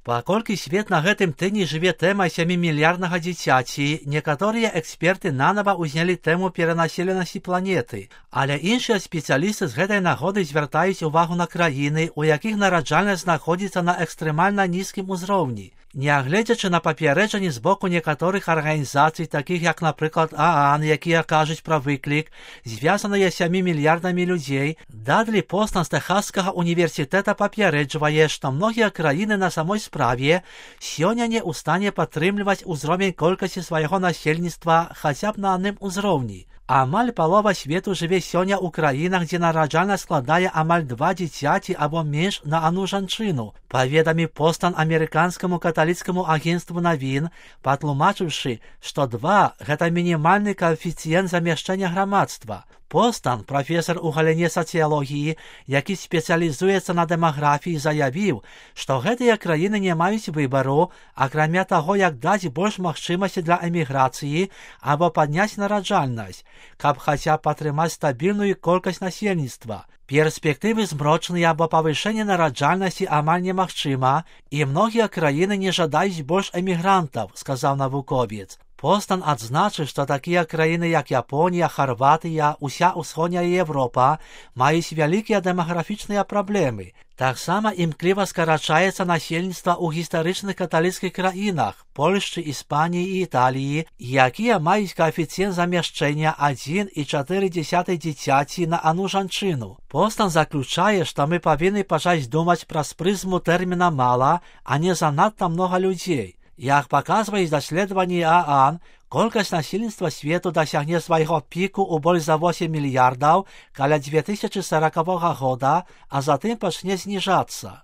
Паколькі свет на гэтым тыдні жыве тэмай 7-мільярднага дзіцяці, некаторыя эксперты нанова ўзнялі тэму перанаселенасці планеты, але іншыя спецыялісты з гэтай нагоды звяртаюць увагу на краіны, у якіх нараджальнасць знаходзіцца на экстрэмальна нізкім узроўні. Нягледзячы на папярэджанні з боку некаторых арганізацый, такіх як, напрыклад, ААН, якія кажуць пра выклік, звязаныя 7 мільярдамі людзей, Дадлі Постан з Тэхасскага універсітэта папярэджвае, што многія краіны на самой справе сёння не ў стане падтрымліваць узровень колькасці свайго насельніцтва хаця б на адным узроўні. Амаль палова свету жыве сёння ў краінах, дзе нараджальнасць складае амаль 2 дзіцяці або менш на адну жанчыну, паведаміў Постан амерыканскаму каталіцкаму агенцтву навін, патлумачыўшы, што 2 – гэта мінімальны каэфіцыент замяшчэння грамадства. Постан, прафесар у галіне сацыялогіі, які спецыялізуецца на дэмаграфіі, заявіў, што гэтыя краіны не маюць выбару, акрамя таго, як даць больш магчымасці для эміграцыі або падняць нараджальнасць, каб хаця б падтрымаць стабільную колькасць насельніцтва. Перспектывы змрочныя, бо павышэнне нараджальнасці амаль немагчыма, і многія краіны не жадаюць больш эмігрантаў, сказаў навуковец. Постан адзначыў, што такія краіны, як Японія, Харватыя, уся ўсходняя Европа маюць вялікія дэмаграфічныя праблемы. Таксама імкліва скарачаецца насельніцтва ў гістарычных каталіцкіх краінах Польшчы, Іспаніі і Італіі, якія маюць каэфіцыент замяшчэння 1,4 дзіцяці на адну жанчыну. Постан заключае, што мы павінны пачаць думаць праз прызму тэрміна «мала», а не занадта многа людзей. Як паказваюць даследаванні ААН, колькасць насельніцтва свету дасягне свайго піку ў больш за 8 мільярдаў каля 2040 года, а затым пачне зніжацца.